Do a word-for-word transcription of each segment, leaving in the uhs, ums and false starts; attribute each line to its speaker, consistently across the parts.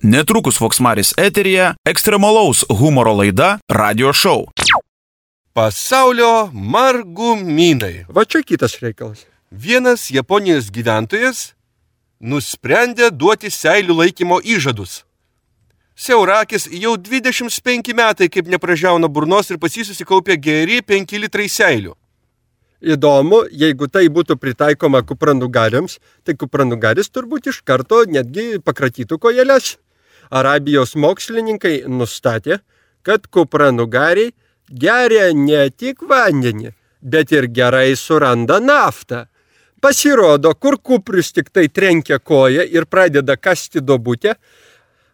Speaker 1: Netrukus Voksmaris eteryje ekstremalaus humoro laida Radio Show.
Speaker 2: Pasaulio margumynai.
Speaker 3: Va čia kitas reikalas.
Speaker 2: Vienas Japonijos gyventojas nusprendė duoti seilių laikymo įžadus. Siaurakis jau dvidešimt penki metai kaip nepražiauna burnos ir pas jį susikaupė geri penki litrai seilių.
Speaker 3: Įdomu, jeigu tai būtų pritaikoma kupranugariams, tai kupranugaris turbūt iš karto netgi pakratytų kojeles. Arabijos mokslininkai nustatė, kad kupranugariai geria ne tik vandenį, bet ir gerai suranda naftą. Pasirodo, kur kuprius tik tai trenkia koją ir pradeda kasti duobutę,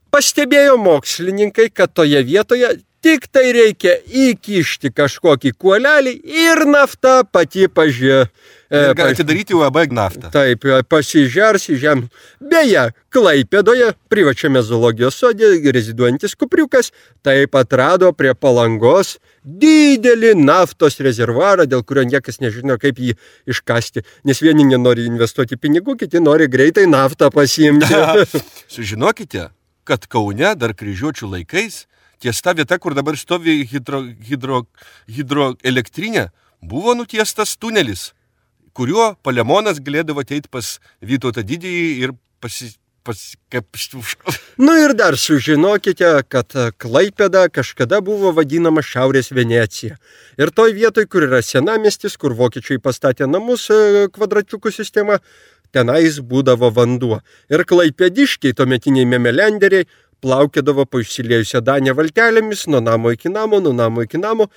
Speaker 3: pastebėjo mokslininkai, kad toje vietoje tik tai reikia įkišti kažkokį kuolelį ir nafta pati pažė.
Speaker 2: Ir gali atidaryti U A B naftą.
Speaker 3: Taip, pasižers į žemę. Beje, Klaipėdoje, privačiame zoologijos sode, reziduojantis kupriukas, taip atrado prie Palangos didelį naftos rezervuarą, dėl kurio niekas nežino, kaip jį iškasti. Nes vieni nenori investuoti pinigų, kiti nori greitai naftą pasiimti.
Speaker 2: Sužinokite, kad Kaune dar kryžiuočių laikais ties ta vieta, kur dabar stovi hidro, hidro, hidroelektrinė, buvo nutiestas tunelis, kuriuo Palemonas galėdavo ateiti pas Vytautą Didįjį ir pasi... pasi kaip...
Speaker 3: Nu ir dar sužinokite, kad Klaipėda kažkada buvo vadinama Šiaurės Venecija. Ir toj vietoj, kur yra senamiestis, kur vokiečiai pastatė namus kvadračiukų sistema, tenais būdavo vanduo. Ir klaipėdiškiai, tuometiniai memelenderiai, plaukėdavo po išsiliejusią Danę valtelėmis, nuo namo iki namo, nuo namo iki namo.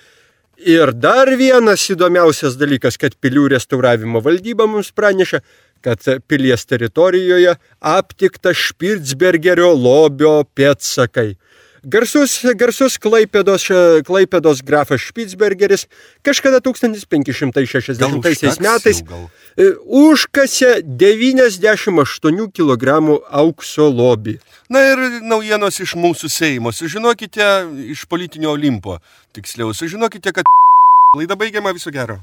Speaker 3: Ir dar vienas įdomiausias dalykas, kad pilių restauravimo valdyba mums pranešė, kad pilies teritorijoje aptikta Špicbergerio lobio pėdsakai. Garsus, garsus Klaipėdos, Klaipėdos grafas Špicbergeris kažkada tūkstantis penki šimtai šešiasdešimtaisiais metais užkasė devyniasdešimt aštuonių kilogramų aukso lobį.
Speaker 2: Na ir naujienos iš mūsų Seimo. Sužinokite iš politinio Olimpo. Tiksliau, sužinokite, kad laida baigiama, viso gero.